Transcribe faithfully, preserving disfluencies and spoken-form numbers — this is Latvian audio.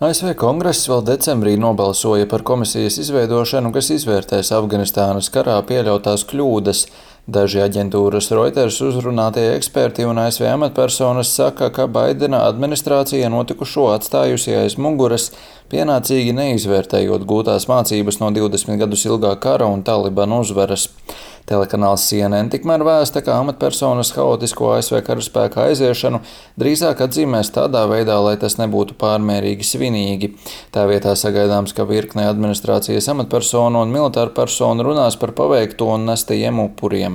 A S V Kongress vēl decembrī nobalsoja par komisijas izveidošanu, kas izvērtēs Afganistānas karā pieļautās kļūdas. Daži aģentūras Reuters uzrunātie eksperti un A S V amatpersonas saka, ka Baidena administrācija notikušo atstājusi aiz muguras, pienācīgi neizvērtējot gūtās mācības no divdesmit gadus ilgā kara un Talibanu uzvaras. Telekanāls C N N tikmēr vēsta, ka amatpersonas haotisko A S V karaspēka aiziešanu drīzāk atzīmēs tādā veidā, lai tas nebūtu pārmērīgi svinīgi. Tā vietā sagaidāms, ka virkne administrācijas amatpersonu un militāru personu runās par paveikto un nestajiem upuriem.